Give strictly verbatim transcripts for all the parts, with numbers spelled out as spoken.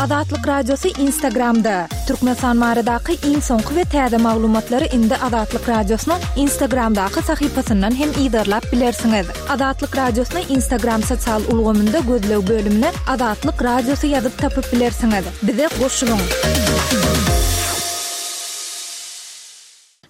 Azatlyk Radiosy Instagramda. Türkmenistan baradaky iň soňky we täze maglumatlary indi Azatlyk Radiosynyň Instagramdaky sahypasyndan hem yzarlap bilersiňiz. Azatlyk Radiosyny Instagram sosial ulgamynda gözleg bölümine Azatlyk Radiosy ýazyp tapyp bilersiňiz. Bize goşulyň.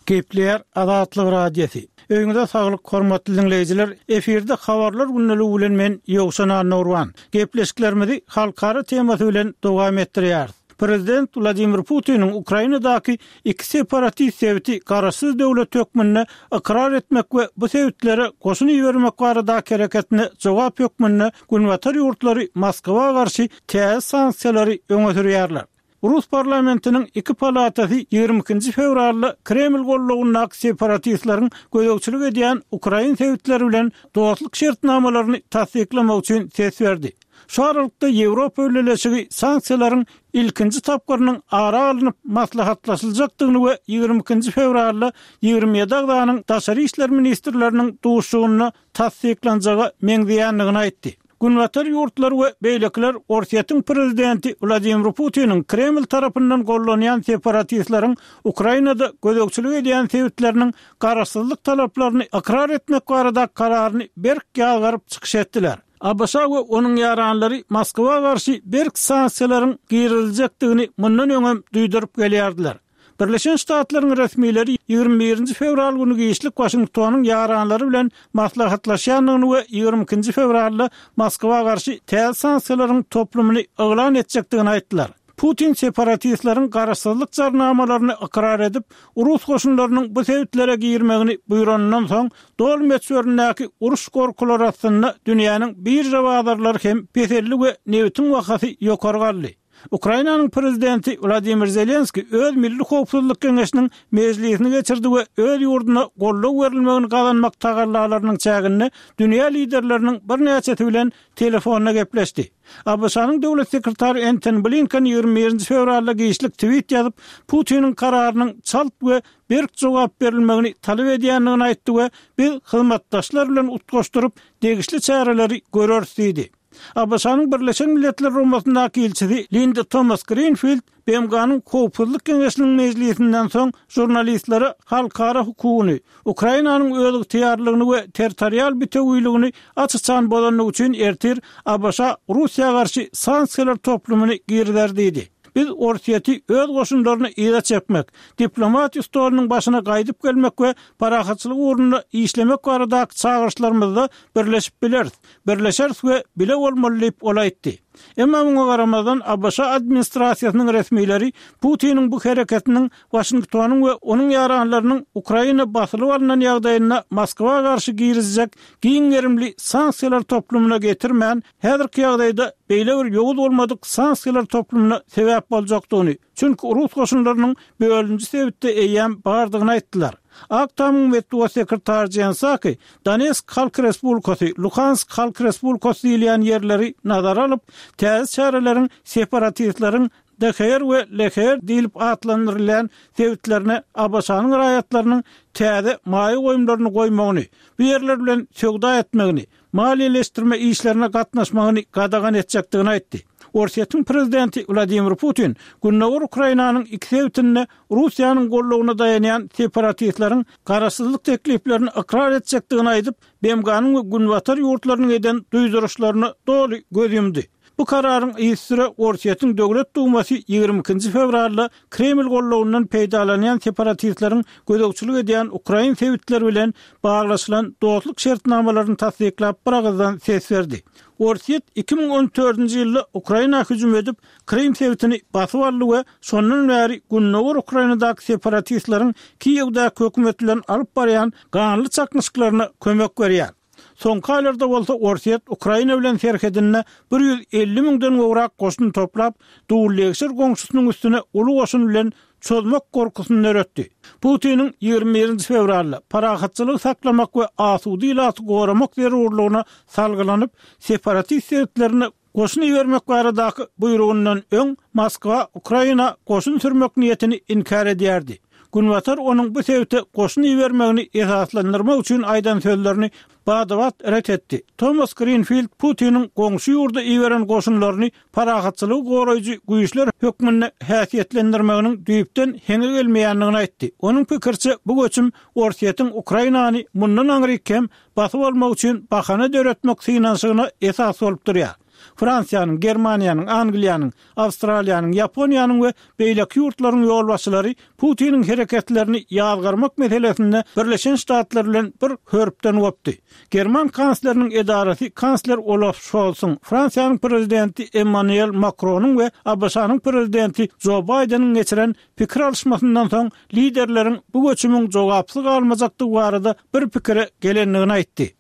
Gepleýär Azatlyk Radiosy. Öýüňize saglyk, hormatly diňleýjiler. Efirde habarlar gündeligi bilen men Ýowşan Annagurban. Gepleşiklerimizi halkara temasy bilen dowam etdirýäris. Prezident Wladimir Putiniň Ukrainadaky iki separatist sebiti garaşsyz döwlet hökmünde ykrar etmek we bu sebitlere goşun ibermek baradaky hereketine jogap hökmünde Günbatar ýurtlary Moskwa garşy täze sanksiýalary öňe sürýärler. Rus parlamentiniň iki palatasy ýigrimi ikinji fewralda Kreml gollagyndaky separatistleriň gözegçilik edýän ukrain sebitleri bilen dostluk şertnamalaryny tassyklamak üçin ses berdi. Şu aralykda Ýewropa Bileleşigi sanksiýalaryň ilkinji tapgyrynyň ara alnyp maslahatlaşyljakdygyny we ýigrimi ikinji fewralda ýigrimi ýedi agzanyň daşary işler ministrleriniň duşuşygynda tassyklanjaga meňzeýändigini aýtdy. Günbatar ýurtlary we beýlekiler Orsýetiň prezidenti Wladimir Putiniň Kreml tarapyndan gollanýan separatistleriň Ukrainada gözegçilik edýän sebitleriniň garaşsyzlyk talaplaryny ykrar etmek barada kararyny berk ýazgaryp çykyş etdiler. ABŞ we onuň ýaranlary Moskwa garşy berk sanksiýalaryň giriziljekdigini mundan öňem duýduryp gelýärdiler. Birleşen Ştatlaryň resmileri ýigrimi birinji fewral güni giçlik Waşingtonyň ýaranlary bilen maslahatlaşýandygyny we ýigrimi ikinji fewralda Moskwa garşy täze sanksiýalaryň toplumyny yglan etjekdigini aýtdylar. Putin separatistleriň garaşsyzlyk jarnamalaryny ykrar edip, rus goşunlarynyň bu sebitlere girmegini buýranyndan soň, doly möçberindäki uruş gorkulary astynda dünýäniň birža bazarlary hem peseldi we nebitiň bahasy ýokary galdy. Ukrainanyň prezidenti Wladimir Zelenskiý öz Milli howpsuzlyk geňeşiniň mejlisini geçirdi we öz ýurduna goldaw berilmegini gazanmak tagallalarynyň çäginde dünýä liderleriniň birnäçesi bilen telefonda gepleşdi. ABŞ-nyň döwlet sekretary Entoni Blinken ýigrimi birinji fewralda giçlik tweet ýazyp, Putiniň kararynyň çalt we berk jogap berilmegini talap edýändigini aýtdy we biz hyzmatdaşlar bilen utgaşdyryp degişli çäreleri göreris diýdi. ABŞ-nyň Birleşen Milletler Guramasyndaky ilçisi Linda Tomas-Grinfild B M G-nyň Howpsuzlyk Geňeşiniň mejlisinden soň žurnalistlere halkara hukugyny, Ukrainanyň özygtyýarlygyny we territorial bitewiligini aç-açan bozandygy üçin ertir ABŞ Russiýa garşy sanksiýalar toplumyny girizer diýdi. Biz Orsýeti öz goşunlaryny yza çekmek, diplomatiýa stolunyň başyna gaýdyp gelmek we parahatçylyk ugrunda işlemek baradaky çagyryşlarymyzda birleşip bileris, birleşeris we bile bolmaly diýip ol aýtdy. Emma muňa garamazdan ABŞ administrasiýasynyň resmileri Putiniň bu hereketiniň Waşingtonyň we onuň ýaranlarynyň Ukraina basylyp alnan ýagdaýynda Moskwa garşy girizjek giň gerimli sanksiýalar toplumyna getirmän, häzirki ýagdaýda beýle bir ýowuz bolmadyk sanksiýalar toplumyna sebäp boljakdygyny, çünki rus goşunlarynyň bölünji sebitde eýýäm bardygyny aýtdylar. Ak Tamyň metbugat sekretary Jen Psaki Donetsk Halk Respublikasy, Luhansk Halk Respublikasy diýilýän ýerleri nazara alyp, täze çäreleriň separatistleriň D H R we L H R diýlip atlandyrylýan sebitlerine ABŞ-nyň raýatlarynyň täze maýa goýumlaryny goýmagyny, bu ýerler bilen söwda etmegini, maliýeleşdirme işlerine gatnaşmagyny gadagan etjekdigini aýtdy. Orsýetiň prezidenti Wladimir Putin Gündogar Ukrainanyň iki sebitinde Russiýanyň goldawyna daýanýan separatistleriň garaşsyzlyk tekliplerini ykrar etjekdigini aýdyp, B M G-nyň we Günbatar ýurtlarynyň eden duýduryşlaryna doly göz ýumdy. Bu kararyň yzysüre Orsýetiň Döwlet Dumasy ýigrimi ikinji fewralda Kreml goldawyndan peýdalanýan separatistleriň gözegçilik edýän ukrain sebitleri bilen baglaşylan dostluk şertnamalaryny tassyklap bir agyzdan ses berdi. Orsýet iki müň on dördünji ýylda Ukraina hüjüm edip, Krym sebitini basyp aldy we şondan bäri Gündogar Ukrainadaky separatistleriň Kiýewdäki hökümet bilen alyp barýan ganly çaknyşyklaryna kömek berýär. Soňky aýlarda bolsa Orsýet Ukraina bilen serhedinde bir ýüz elli müňden gowrak goşun toplap, dullegşir goňşusynyň üstüne uly goşun bilen çozmak gorkusyny döretdi. Putiniň ýigrimi birinji fewralda parahatçylygy saklamak we asuda ilaty goramak zerurlygyna salgylanyp, separatist sebitlerine goşun ibermek baradaky buýrugyndan öň Moskwa Ukraina goşun sürmek niýetini inkär edýärdi. Günbatar onuň bu sebite goşun ibermegini esaslandyrmak üçin aýdan sözlerini bada-bat ret etdi. Tomas Grinfild Putiniň goňşy ýurda iberen goşunlaryny parahatçylygy goraýjy güýçler hökmünde häsiýetlendirmeginiň düýpden heňe gelmeýändigini aýtdy. Onuň pikiriçe, bu göçüm Orsýetiň Ukrainany mundan aňryk hem basyp almak üçin bahana döretmek synanyşygyna esas bolup durýar. Fransiýanyň, Germaniýanyň, Angliýanyň, Awstraliýanyň, Ýaponiýanyň we beýleki ýurtlaryň ýolbaşçylary Putiniň hereketlerini ýazgarmak meselesinde Birleşen Ştatlar bilen bir hörpden gopdy. German kansleriniň edarasy kansler Olaf Şolsuň, Fransiýanyň prezidenti Emmanuel Makronyň we ABŞ-nyň prezidenti Jo Baýdeniň geçiren pikir alyşmasyndan soň liderleriň bu göçümiň jogapsyz galmajakdygy barada bir pikire gelendigini aýtdy.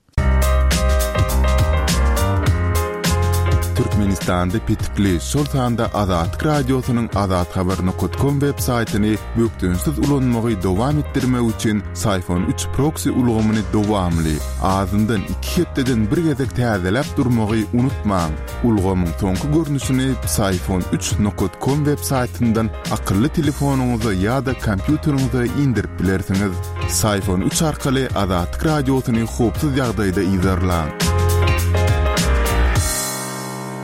Türkmenistanda petikli, şol sanda Azatlyk Radiosynyň azathabar nokat kom web saýtyny bökdençsiz ulanmagy dowam etdirmek üçin Syfon üç proksi ulgamyny dowamly, azyndan iki hepdeden bir gezek täzeläp durmagy unutmaň. Ulgamyň soňky görnüşini Syfon üç nokat kom web saýtyndan akylly telefonyňyza ýa-da kompýuteriňize indirip bilersiňiz. Syfon üç arkaly Azatlyk Radiosyny howpsuz ýagdaýda yzarlaň.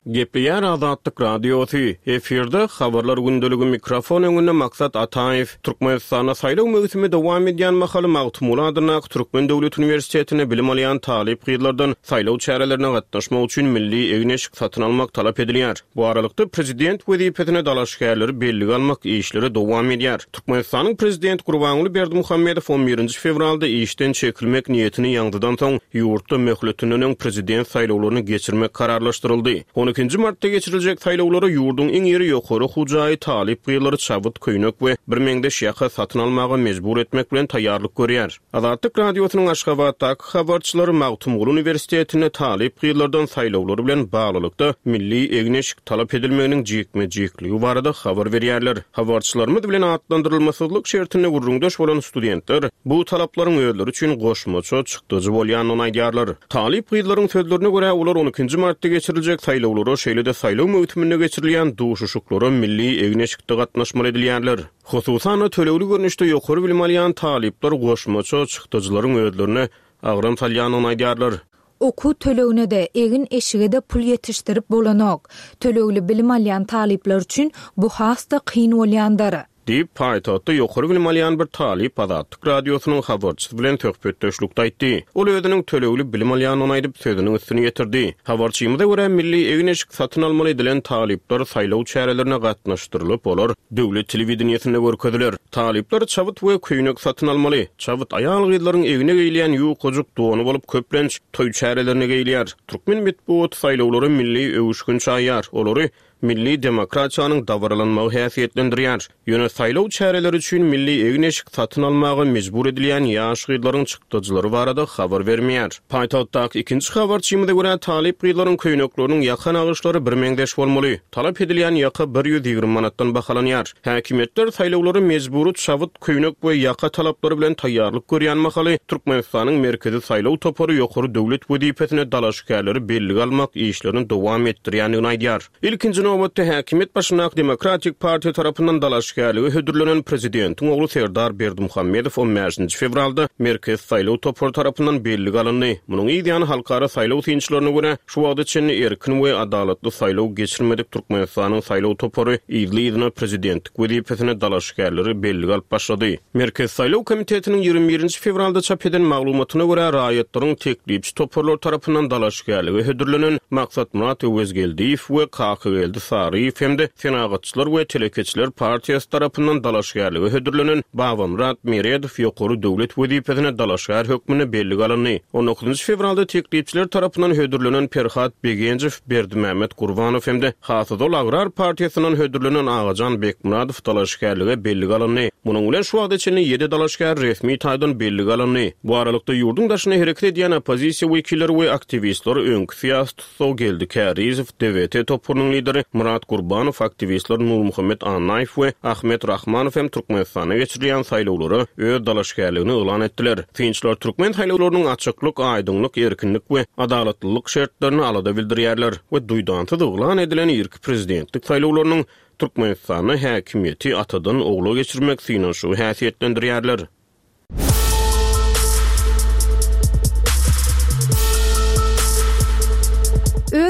Gepleýär Azatlyk Radiosy. Efirde habarlar gündeligi mikrofon öňünde Maksat Ataýew. Türkmenistanda saýlaw möwsümi dowam edýän mahaly Magtymguly adyndaky Türkmen döwlet uniwersitetinde bilim alýan talyp gyzlardan saýlaw çärelerine gatnaşmak üçin milli egin-eşik satyn almak talap edilýär. Bu aralykda prezident wezipesine dalaşgärleri bellige almak işleri dowam edýär. Türkmenistanyň prezident Gurbanguly Berdimuhamedow on birinji fewralda işden çekilmek niýetini ýaňzydan soň ýurtda möhletinden öň prezident saýlawlaryny geçirmek kararlaşdyryldy. On ikinji martda geçiriljek saýlawlara ýurduň iň iri ýokary okuw jaýy talyp gyzlary çabyt, köýnek we bir meňzeş ýaka satyn almaga mejbur etmek bilen taýýarlyk görýär. Azatlyk Radiosynyň Aşgabatdaky habarçylary Magtymguly uniwersitetinde talyp gyzlardan saýlawlary bilen baglylykda milli egin-eşik talap edilmeginiň jikme-jikligi barada habar berýärler. Habarçylarymyz bilen atlandyrylmasyzlyk şertinde gürrüňdeş bolan studentler bu talaplaryň özleri üçin goşmaça çykdajy bolýandygyny aýdýarlar. Talyp gyzlaryň sözlerine görä olar on ikinji martda geçiriljek saýlawlara, şeýle-de saýlaw möwsüminde geçirilýän duşuşyklara milli egin-eşikde gatnaşmaly edilýärler. Hususan-da tölegli görnüşde ýokary bilim alýan talyplar goşmaça çykdajylaryň özlerine agram salýandygyny aýdýarlar. Okuw tölegine-de, egin-eşige-de pul ýetişdirip bolanok. Tölegli bilim alýan talyplar üçin bu has-da kyn bolýandyr. Diýip, paýtagtda ýokary bilim alýan bir talyp Azatlyk Radiosynyň habarçysy bilen söhbetdeşlikde aýtdy. Ol özüniň tölegli bilim alýandygyny aýdyp, sözüniň üstüni ýetirdi. Habarçymyza görä milli egin-eşik satyn almaly edilen talyplar saýlaw çärelerine gatnaşdyrylyp, olar döwlet telewideniýesinde görkeziler. Talyplar çabyt we köýnek satyn almaly. Çabyt aýal gyzlaryň egne geýilýän ýukajyk dony bolup köplenç toý çärelerine geýilýär. Türkmen metbugat saýlawlary milli öwüşgin çaýar. Olary milli demokratiýanyň dabaralanmagy häsiýetlendirýär. Ýöne saýlaw çäreleri üçin milli egin-eşik satyn almaga mejbur edilýän ýaş gyzlaryň çykdajylary barada habar bermeýär. Paýtagtdaky ikinji habarçymyza görä talyp gyzlaryň köýnekleriniň ýaka nagyşlary bir meňzeş bolmaly. Talap edilýän ýaka bir ýüz ýigrimi manatdan bahalanýar. Häkimiýetler saýlawlary mejbury çabyt, köýnek we ýaka talaplary bilen taýýarlyk görýän mahaly Türkmenistanyň Merkezi saýlaw topary ýokary döwlet wezipesine dalaşgärleri bellige almak işlerini dowam etdirýändigini aýdýar. Ilkinji nobatda häkimiýet başyndaky Demokratik partiýa tarapyndan dalaşgärlige hödürlenen prezidentiň ogly Serdar Berdimuhamedow on bäşinji fewralda Merkezi saýlaw topary tarapyndan bellige alyndy. Munuň yz ýany halkara saýlaw synçylaryna görä şu wagta çenli erkin we adalatly saýlaw geçirmedik Türkmenistanyň saýlaw topary yzly-yzyna prezidentlik wezipesine dalaşgärleri bellige alyp başlady. Merkezi saýlaw komitetiniň ýigrimi birinji fewralda çap eden maglumatyna görä raýatlaryň teklipçi toparlar tarapyndan dalaşgärlige hödürlenen Maksatmyrat Öwezgeldiýew we Kakageldi Saryýew hem-de Senagatçylar we Telekeçiler partiýasy tarapyndan dalaşgärlige hödürlenen Babamyrat Meredow ýokary döwlet wezipesine dalaşgär hökmünde bellige alyndy. on dokuzynjy fewralda teklipçiler tarapyndan hödürlenen Perhat Begenjew, Berdimämmet Gurbanow hem-de Hasazol Agrar partiýasyndan hödürlenen Agajan Bekmyradow dalaşgärlige bellige alyndy. Munuň bilen şu wagta çenli ýedi dalaşgär resmi taýdan bellige alyndy. Bu aralykda ýurduň daşyna hereket edýän oppozisiýa wekilleri we aktiwistler öňki syýasy tussag Geldi Kärizow, D V T toparynyň lideri Murat Gurbanow, aktiwistler Nurmuhammet Annaýew we Ahmet Rahmanow hem Türkmenistanda geçirilýän saýlawlara öz dalaşgärligini yglan etdiler. Synçylar türkmen saýlawlarynyň açyklyk, aýdyňlyk, erkinlik we adalatlylyk şertlerini alada bildirýärler we duýdansyz yglan edilen irki prezidentlik saýlawlarynyň Türkmenistanda häkimiýeti atadan ogla geçirmek synanyşygy häsiýetlendirýärler.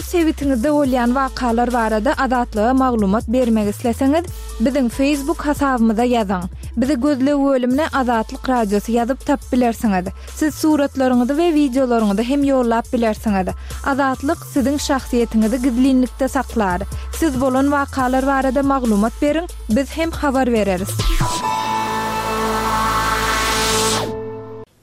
Öz sebitiňizde bolýan wakalar barada Azatlyga maglumat bermek isleseňiz, biziň Facebook hasabymyza ýazyň. Bizi gözleg bölümine Azatlyk Radiosy ýazyp tapyp bilersiňiz. Siz suratlaryňyzy we wideolaryňyzy hem ýollap bilersiňiz. Azatlyk siziň şahsyýetiňizi gizlinlikde saklar. Siz bolan wakalar barada maglumat beriň, biz hem habar bereris.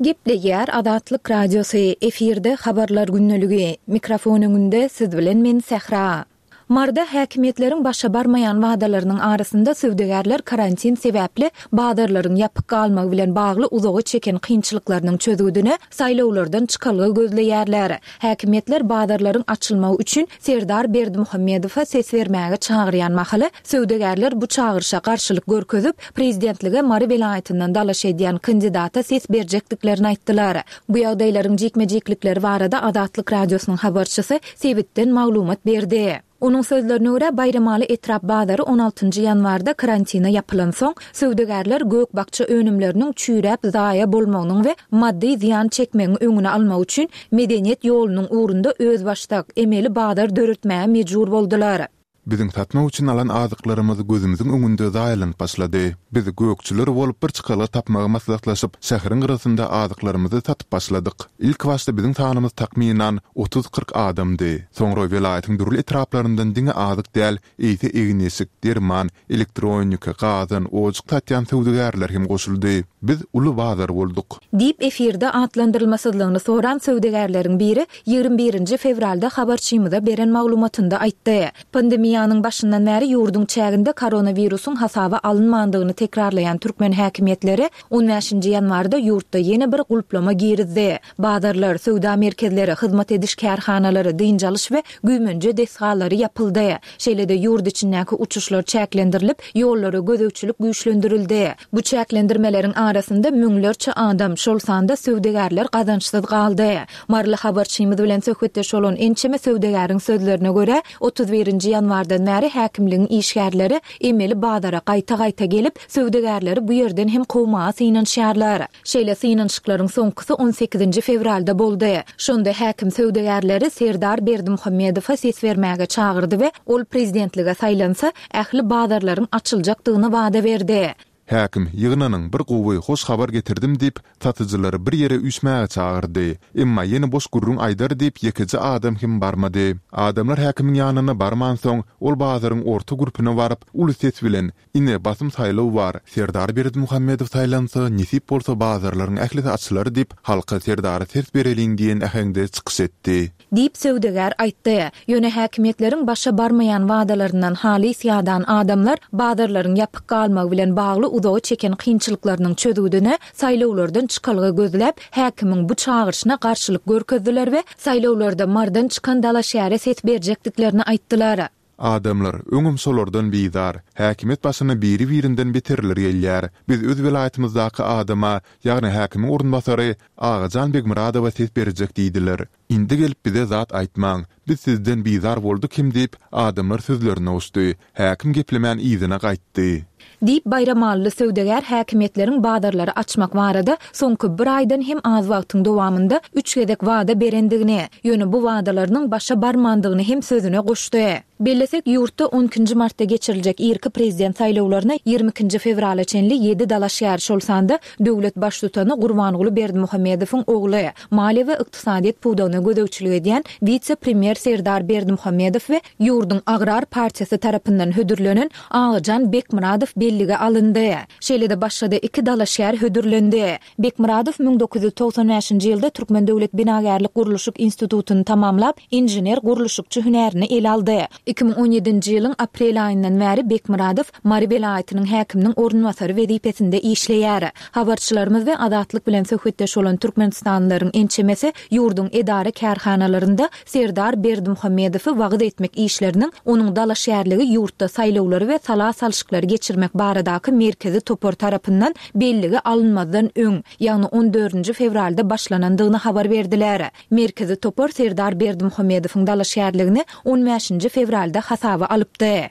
Gepleýär Azatlyk Radiosy, efirde habarlar gündeligi. Mikrofon öňünde siz bilen men Sähra. Maryda häkimiýetleriň başa barmaýan wadalarynyň arasynda söwdagärler karantin sebäpli bazarlaryň ýapyk galmagy bilen bagly uzaga çeken kynçylyklarynyň çözgüdine saýlawlardan çykalga gözleýärler. Häkimiýetler bazarlaryň açylmagy üçin Serdar Berdimuhamedowa ses bermäge çagyrýan mahaly söwdagärler bu çagyryşa garşylyk görkezip, prezidentlige Mary welaýatyndan dalaş edýän kandidata ses berjekdiklerini aýtdylar. Bu ýagdaýlaryň jikme-jiklikleri barada Azatlyk Radiosynyň habarçysy sebitden maglumat berdi. Onuň sözlerine görä, Baýramaly etrap bazary on altynjy ýanwarda karantina ýapylansoň, söwdagärler gök-bakja önümleriniň çüýräp zaýa bolmagynyň we maddy zyýan çekmegiň öňüni almak üçin Medeniýet ýolunyň ugrunda özbaşdak, emeli bazar döretmäge mejbur boldular. Biziň satmak üçin alan azyklarymyz gözümiziň öňünde zaýalanyp başlady. Biz gökçüler bolup bir çykalga tapmagy maslahatlaşyp, şäheriň gyrasynda azyklarymyzy satyp başladyk. Ilkibaşda biziň sanymyz takmynan otuz-kyrk adamdy. Soňra welaýatyň dürli etraplaryndan diňe azyk däl, eýse egin-eşik, derman, elektronika, gazan, ojak satýan söwdagärler hem goşuldy. Biz uly bazar bolduk. Diýip, efirde atlandyrylmasyzlygyny soran söwdagärleriň biri ýigrimi birinji fewralda habarçymyza beren maglumatynda aýtdy. Pandemiýanyň başyndan bäri ýurduň çäginde koronawirusyň hasaba alynmandygyny tekrarlaýan türkmen häkimiýetleri on bäşinji ýanwarda ýurtda ýene bir gulplama girizdi. Bazarlar, söwda merkezleri, hyzmat ediş kärhanalary, dynç alyş we güýmenje desgalary ýapyldy. Şeýle-de ýurt içindäki uçuşlar çäklendirilip, ýollara gözegçilik güýçlendirildi. Bu çäklendirmeleriň arasynda müňlerçe adam, şol sanda söwdagärler gazançsyz galdy. Maryly habarçymyz bilen söhbetdeş bolan ençeme söwdagäriň sözlerine görä, otuz birinji ýanwardan bäri häkimligiň işgärleri emeli bazara gaýta-gaýta gelip, söwdagärleri bu ýerden hem kowmaga synanyşýarlar. Şeýle synanyşyklaryň soňkusy on sekizinji fewralda boldy. Şonda häkim söwdagärleri Serdar Berdimuhamedowa ses bermäge çagyrdy we ol prezidentlige saýlansa, ähli bazarlaryň açyljakdygyny wada berdi. Häkim, ýygnanyň, bir gowy, hoş habar getirdim diýip, satyjylary bir ýere üýşmäge çagyrdy. Emma ýene boş gürrüň aýdar diýip ýekeje adam hem barmady. Adamlar häkimiň ýanyna barmansoň, ol bazaryň orta gürpüne baryp, uly ses bilen, Ine, basym saýlaw bar, Serdar Berdimuhamedow saýlansa, nesip bolsa bazarlaryň ählisi açylar diýip, halka Serdara ses bereliň diýen äheňde çykyş etdi. Diýip, söwdagär aýtdy. Ýöne häkimiýetleriň başa barmaýan wadalaryndan halys ýadan adamlar bazarlaryň ýapyk galmagy bilen bagly uzaga çeken kynçylyklarynyň çözgüdine saýlawlardan çykalga gözläp, häkimiň bu çagyryşyna garşylyk görkezdiler we saýlawlarda Marydan çykan dalaşgäre ses berjekdiklerini aýtdylar. Adamlar öňem şolardan bizar. Häkimiýet başyna biri-birinden beterler gelýär. Biz öz welaýatymyzdaky adama, ýagny häkimiň orunbasary Agajan Begmyradowa ses berjek diýdiler. Indi gelip bize zat aýtmaň. Biz sizden bizar bolduk hem diýip, adamlar sözlerine goşdy. Häkim geplemän yzyna gaýtdy. Diýip, baýramalyly söwdagär häkimiýetleriň bazarlary açmak barada soňky bir aýdan hem az wagtyň dowamynda üç gezek wada berendigini, ýöne bu wadalarynyň başa barmandygyny hem sözüne goşdy. Bellesek, ýurtda on ikinji martda geçiriljek irki prezident saýlawlaryna ýigrimi ikinji fewrala çenli ýedi dalaşgär, şol sanda döwlet Baştutany Gurbanguly Berdimuhamedowyň ogly, maliýe we ykdysadyýet pudagyna gözegçilik edýän wise-premýer Serdar Berdimuhamedow we ýurduň Agrar partiýasy tarapyndan hödürlenen Agajan Bekmyradow bellige alyndy. Şeýle-de başga-da iki dalaşgär hödürlendi. Bekmyradow müň dokuz ýüz togsan bäşinji ýylda Türkmen döwlet binagärlik-gurluşyk institutyny tamamlap, inžener-gurluşykçy hünärini ele aldy. Iki müň on ýedinji ýylyň aprel aýyndan bäri Bekmyradow Mary welaýatynyň häkiminiň orunbasary wezipesinde işleýär. Habarçylarymyz we Azatlyk bilen söhbetdeş bolan türkmenistanlylaryň ençemesi ýurduň edara-kärhanalarynda Serdar Berdimuhamedowy wagyz etmek işleriniň onuň dalaşgärligi ýurtda saýlawlary we sala salşyklary geçirmek baradaky merkezi topar tarapyndan bellige alynmazdan öň, ýagny on dördünji fewralda başlanandygyny habar berdiler. Merkezi topar Serdar Berdimuhamedowyň dalaşgärligini on bäşinji fewralda hasaba alypdy.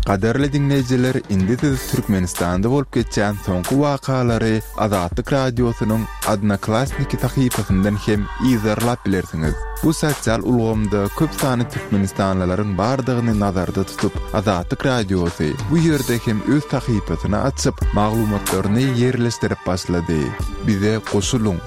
Gadyrly diňleýjiler, indi siz Türkmenistanda bolup geçýän soňky wakalary Azatlyk Radiosynyň Odnoklassniki sahypasyndan hem yzarlap bilersiňiz. Bu sosial ulgamda köp sanly türkmenistanlylaryň bardygyny nazarda tutup, Azatlyk Radiosy bu ýerde hem öz sahypasyny açyp, maglumatlaryny ýerleşdirip başlady. Bize goşulyň!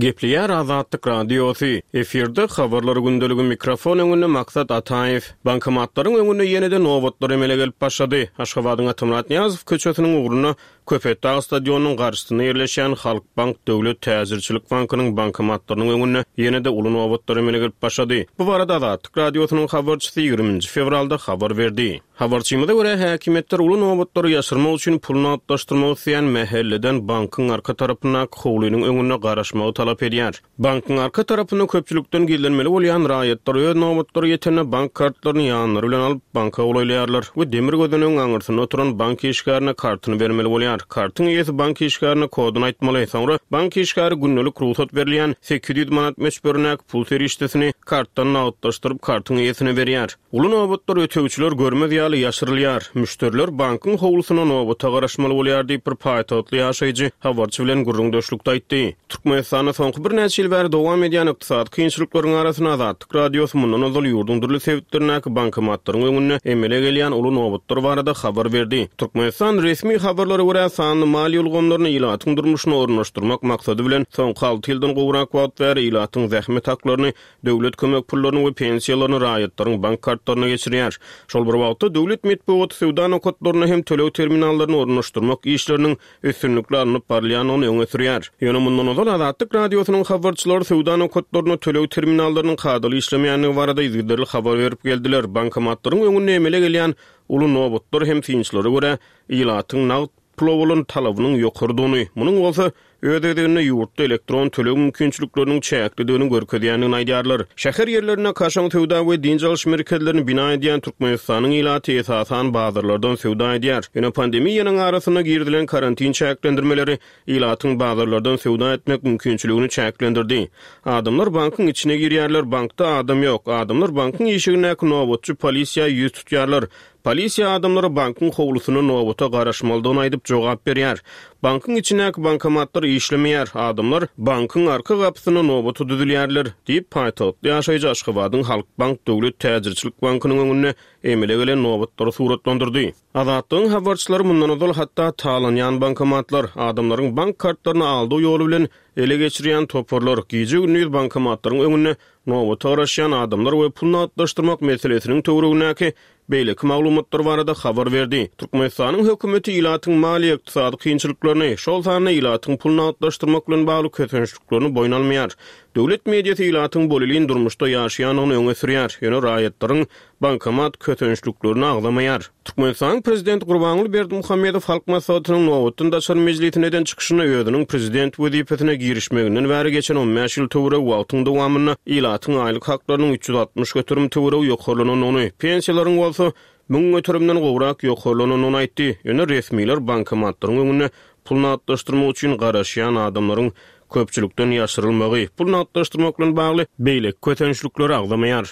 Gepleýär Azatlyk Radiosy. Efirde habarlar gündeligi mikrofon öňünde Maksat Ataýew. Bankomatlaryň öňünde ýene-de nobatlar emele gelip başlady. Aşgabadyň Atamyrat Nyýazow köçesiniň ugrunda Köpetdag stadionynyň garşysynda ýerleşýän Halkbank döwlet täjirçilik bankynyň bankomatlarynyň öňünde ýene-de uly nobatlar emele gelip başlady. Bu barada Azatlyk Radiosynyň habarçysy ýigriminji fewralda habar berdi. Habarçymyza görä, häkimiýetler uly nobatlary ýaşyrmak üçin pul nagtlaşdyrmak isleýän mähelleden bankyň arka tarapyndaky howlynyň öňünde garaşmagy talap edýär. Bankyň arka tarapynda köpçülikden gizlenmeli bolýan raýatlar öz nobatlary ýetende bank kartlaryny ýanlary bilen alyp banka golaýlaýarlar we demir gözenegiň aňyrsynda oturan bank işgärine kartyny bermeli bolýar. Kartyň eýesi bank işgärine koduny aýtmaly, soňra bank işgäri gündelik rugsat berilýän sekiz ýüz manat möçberindäki pul serişdesini kartdan nagtlaşdyryp kartyň eýesine berýär. Uly nobatlar ötegçiler görmez ýaly ýaşyrylýar. Müşderiler bankyň howlusyna nobata garaşmaly bolýar diýip bir paýtagtly ýaşaýjy habarçy bilen gürrüňdeşlikde aýtdy. Türkmenistanda soňky birnäçe ýyl bäri dowam edýän ykdysady kynçylyklaryň arasynda Azatlyk Radiosy mundan ozal ýurduň dürli sebitlerindäki bankomatlaryň öňünde emele gelýän uly nobatlar barada habar berdi. Türkmenistan resmi habarlara görä sanly maliýe ulgamlaryny ilatyň durmuşyna ornaşdyrmak maksady bilen soňky alty ýyldan gowrak wagt bäri ilatyň zähmet haklaryny, döwlet kömek pullaryny we pensiýalaryny raýatlaryň bank kartlaryna geçirýär. Şol bir wagtda döwlet metbugaty söwda nokatlaryna hem töleg terminallaryny ornaşdyrmak işleriniň üstünlikli alnyp barylýandygyny öňe sürýär. Ýöne mundan ozal Azatlyk Radiosynyň habarçylary söwda nokatlaryna töleg terminallarynyň kadaly işlemeýändigi barada yzygiderli habar berip geldiler. Bankomatlaryň öňünde emele gelýän uly nobatlar hem synçylara görä ilatyň nagt pula bolan talabynyň ýokarydygyny, munuň bolsa öz gezeginde ýurtda elektron töleg mümkinçilikleriniň çäklidigini görkezýändigini aýdýarlar. Şäher ýerlerinde kaşaň söwda we dynç alyş merkezlerini bina edýän Türkmenistanyň ilaty esasan bazarlardan söwda edýär. Ýöne pandemiýanyň arasynda girizilen karantin çäklendirmeleri ilatyň bazarlardan söwda etmek mümkinçiligini çäklendirdi. Adamlar bankyň içine girýärler, bankda adam ýok. Adamlar bankyň işigindäki nobatçy polisiýa ýüz tutýarlar. Polisiýa adamlara bankyň howlusyna nobata garaşmalydygyny aýdyp jogap berýär. Bankyň içindäki bankomatlar işlemeýär. Adamlar bankyň arka gapysyna nobata düzülýärler diýip paýtagtly ýaşaýjy Aşgabadyň Halkbank döwlet täjirçilik bankynyň öňünde emele gelen nobatlary suratlandyrdy. Azatlygyň habarçylary mundan ozal hatda talanýan bankomatlar, adamlaryň bank kartlaryny aldygy ýoly bilen ele geçirýän toparlar, gije-gündiz bankomatlaryň öňünde nobata garaşýan adamlar we pul nagtlaşdyrmak meselesiniň töweregindäki beýleki maglumatlar barada habar berdi. Türkmenistanyň hökümeti ilatyň maliýe ykdysady kynçylyklaryny, şol sanda ilatyň pul nagtlaşdyrmak bilen bagly kösençliklerini boýun almaýar. Döwlet mediasy ilatyň bolelin durmuşda ýaşaýandygyny öňe sürýär, ýöne raýatlaryň bankomat kösençliklerini agzamaýar. Türkmenistanyň prezidenti Gurbanguly Berdimuhamedow Halk Maslahatynyň nobatdan daşary mejlisinde eden çykyşynda özüniň prezident wezipesine girişmeginden bäri geçen on bäş ýyl töweregi wagtyň dowamynda ilatyň aýlyk haklarynyň üç ýüz altmyş göterim töweregi ýokarlanandygyny, pensiýalaryň bolsa müň göterimden gowrak ýokarlanandygyny aýtdy. Ýöne resmiler bankomatlaryň öňünde pul nagtlaşdyrmak üçin garaşýan adamlaryň köpçülikden ýaşyrylmagy, pul nagtlaşdyrmak bilen bagly beýleki kösençlikleri agzamaýar.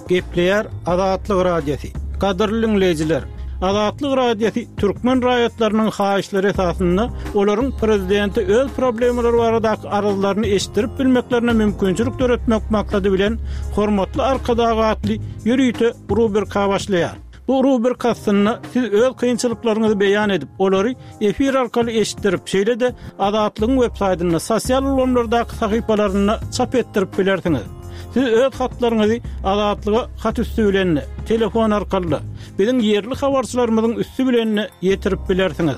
Gepleýär Azatlyk Radiosy. Gadyrly dinleýjiler, Azatlyk Radiosy türkmen raýatlarynyň haýyşlary esasynda olaryň prezidenti öz problemalary baradaky arzlaryny eşitdirip bilmeklerine mümkinçilik döretmek maksady bilen Hormatly Arkadag atly ýörite rubrika başlaýar. Bu rubrika aslynda siz öz kynçylyklaryňyzy beýan edip, olary efir arkaly eşitdirip, şeýle-de Azatlygyň web saýtynda, sosial ulgamlardaky sahypalarynda çap etdirip bilersiňiz. Siz öz hatlaryňyzy Azatlyga hat üstü bilen, telefon arkaly, biziň ýerli habarçylarymyzyň üstü bilen ýetirip bilersiňiz.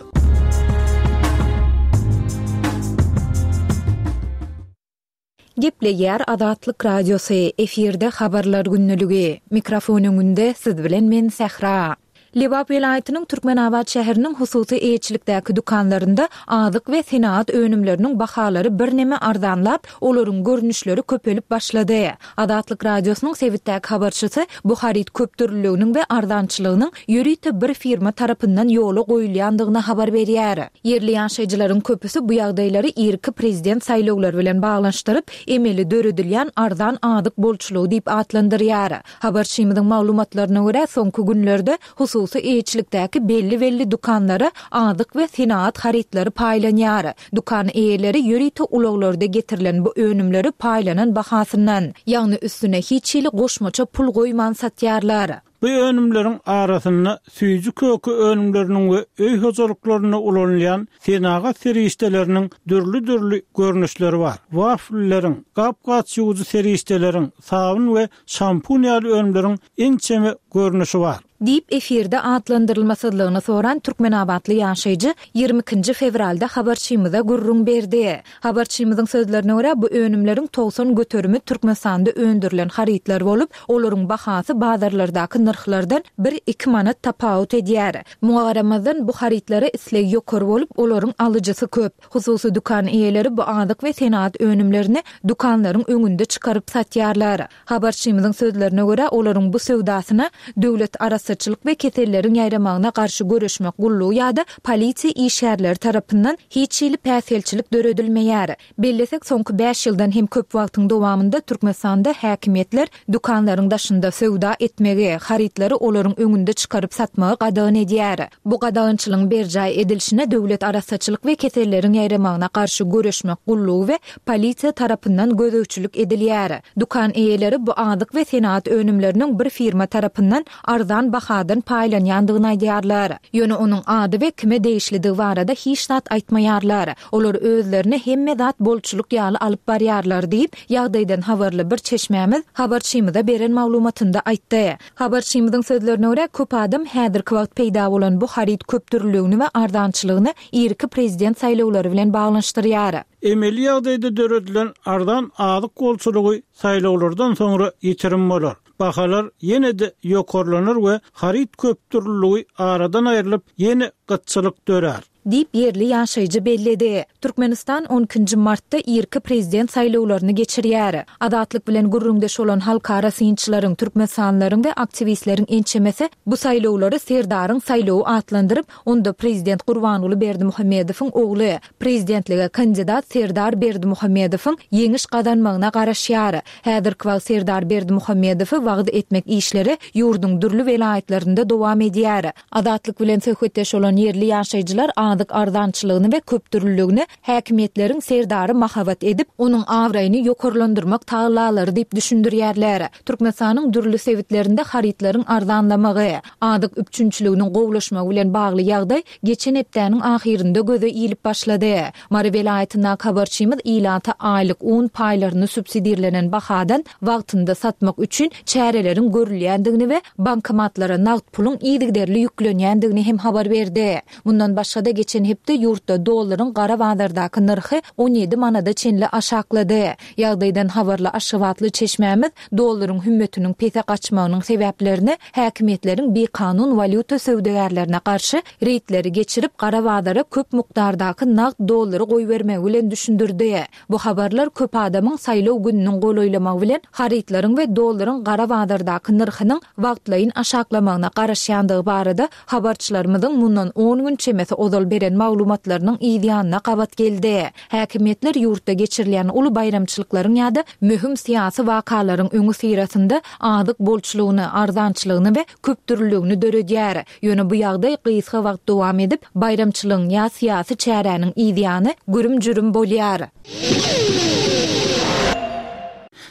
Gepleýär Azatlyk Radiosy, efirde habarlar günlügi. Mikrofon öňünde siz bilen men Sähra. Lebap welaýatynyň Türkmenabat şäheriniň hususy eýeçilikdäki dükanlarynda azyk we senagat önümleriniň bahalary birneme arzanlap, olaryň görnüşleri köpelip başlady. Azatlyk Radiosynyň sebitdäki habarçysy bu haryt köpdürlüliginiň we arzançylygynyň ýörite bir firma tarapyndan ýola goýulýandygyny habar berýär. Ýerli ýaşaýjylaryň köpüsi bu ýagdaýlary irki prezident saýlawlary bilen baglanyşdyryp, emeli döredilýän arzan azyk bolçulygy diýip atlandyrýar. Habarçymyzyň maglumatlaryna görä, soňky günlerde hususy eýeçilikdäki belli-belli dükanlara azyk we senagat harytlary paýlanýar. Dükan eýeleri ýörite ulaglarda getirilen bu önümleri paýlanan bahasyndan, ýagny üstüne hiç hili goşmaça pul goýman satýarlar. Bu önümleriň arasynda süýji-köke önümleriniň we öý hojalyklarynda ulanylýan senagat serişdeleriniň dürli-dürli görnüşleri bar. Waflileriň, gap-gaç ýuwujy serişdeleriň, sabyn we şampun ýaly önümleriň ençeme görnüşi bar. Diýip, efirde atlandyrylmasyzlygyny soran türkmenabatly ýaşaýjy ýigrimi ikinji fewralda habarçymyza gürrüň berdi. Habarçymyzyň sözlerine görä, bu önümleriň togsan göterimi Türkmenistanda öndürilen harytlar bolup, olaryň bahasy bazarlardaky nyrhlardan bir-iki manat tapawut edýär. Muňa garamazdan, bu harytlara isleg ýokary bolup, olaryň alyjysy köp. Hususy dükan eýeleri bu azyk we senagat önümlerini dükanlaryň öňünde çykaryp satýarlar. Habarçymyzyň sözlerine görä, olaryň bu söwdasyna Döwlet arassaçylyk we keselleriň ýaýramagyna garşy göreşmek gullugy ýa-da polisiýa işgärleri tarapyndan hiç hili päsgelçilik döredilmeýär. Bellesek, soňky bäş ýyldan hem köp wagtyň dowamynda Türkmenistanda häkimiýetler dükanlaryň daşynda söwda etmegi, harytlary olaryň öňünde çykaryp satmagy gadagan edýär. Bu gadagançylygyň berjaý edilişine Döwlet arassaçylyk we keselleriň ýaýramagyna garşy göreşmek gullugy we polisiýa tarapyndan gözegçilik edilýär. Dükan eýeleri bu azyk we senagat önümleriniň bir firma tarapyndan arzan bahadan paýlanýandygyny aýdýarlar. Ýöne onuň ady we kime degişlidigi barada hiç zat aýtmaýarlar. Olar özlerini hemme zat bolçulyk ýaly alyp barýarlar diýip, ýagdaýdan habarly bir çeşmämiz habarçymyza beren maglumatynda aýtdy. Habarçymyzyň sözlerine görä, köp adam häzirki wagt peýda bolan bu haryt köpdürlüligini we arzançylygyny irki prezident saýlawlary bilen baglanyşdyrýar. Emeli ýagdaýda döredilen arzan azyk bolçulygy saýlawlardan soňra ýitirim bolar. Bahalar ýene-de ýokarlanar we haryt köpdürlüligi aradan aýrylyp, ýene gytçylyk dörär. Diýip, ýerli ýaşaýjy belledi. Türkmenistan on ikinji martda irki prezident saýlawlaryny geçirýär. Azatlyk bilen gürrüňdeş bolan halkara synçylaryň, türkmenistanlylaryň we aktiwistleriň ençemesi bu saýlawlary Serdaryň saýlawy atlandyryp, onda prezident Gurbanguly Berdimuhamedowyň ogly, prezidentlige kandidat Serdar Berdimuhamedowyň ýeňiş gazanmagyna garaşýar. Häzirki wagt Serdar Berdimuhamedowy wagyz etmek işleri ýurduň dürli welaýatlarynda dowam edýär. Azatlyk bilen söhbetdeş bolan ýerli ýaşaýjylar azyk arzançylygyny we köpdürlüligini häkimiýetleriň Serdary mahabat edip, onuň abraýyny ýokarlandyrmak tagallalary diýip düşündirýärler. Türkmenistanyň dürli sebitlerinde harytlaryň arzanlamagy, azyk üpjünçiliginiň gowulaşmagy bilen bagly ýagdaý geçen hepdäniň ahyrynda göze ilip başlady. Mary welaýatyndaky habarçymyz ilata aýlyk un paýlaryny subsidirlenen bahadan wagtynda satmak üçin çäreleriň görülýändigini we bankomatlara nagt puluň yzygiderli ýüklenýändigini hem habar berdi. Mundan başga-da geçen hepde ýurtda dollaryň gara bazardaky nyrhy on ýedi manada çenli aşaklady. Ýagdaýdan habarly aşgabatly çeşmämiz dollaryň hümmetiniň pese gaçmagynyň sebäplerini häkimiýetleriň bikanun walýuta söwdagärlerine garşy reýdleri geçirip gara bazara köp mukdardaky nagt dollary goýbermegi bilen düşündirdi. Bu habarlar köp adamyň saýlaw gününiň golaýlamagy bilen harytlaryň we dollaryň gara bazardaky nyrhynyň wagtlaýyn aşaklamagyna garaşýandygy barada habarçylarymyzyň mundan on gün çemesi ozal beren maglumatlarynyň yz ýanyna gabat geldi. Häkimiýetler ýurtda geçirilýän uly baýramçylyklaryň ýa-da möhüm syýasy wakalaryň öňi syrasynda azyk bolçulygyny, arzançylygyny we köpdürlüligini döredýär. Ýöne bu ýagdaý gysga wagt dowam edip, baýramçylygyň ýa syýasy çäräniň yz ýany gürüm-jürüm bolýar.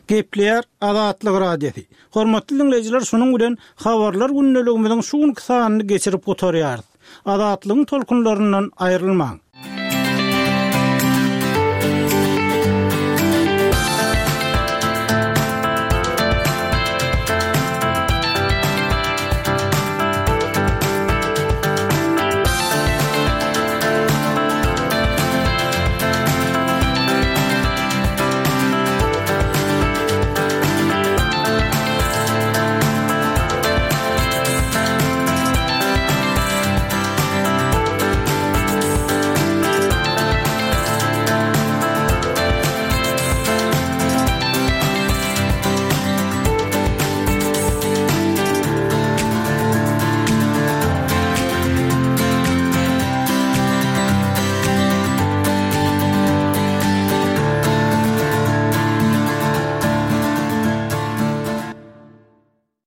Gepleýär Azatlyk Radiosy. Hormatly dinleýjiler, şunuň bilen habarlar gündeligimiziň şu günki sanyny geçirip gutarýarys. Azatlygyň tolkunlaryndan aýrylmaň.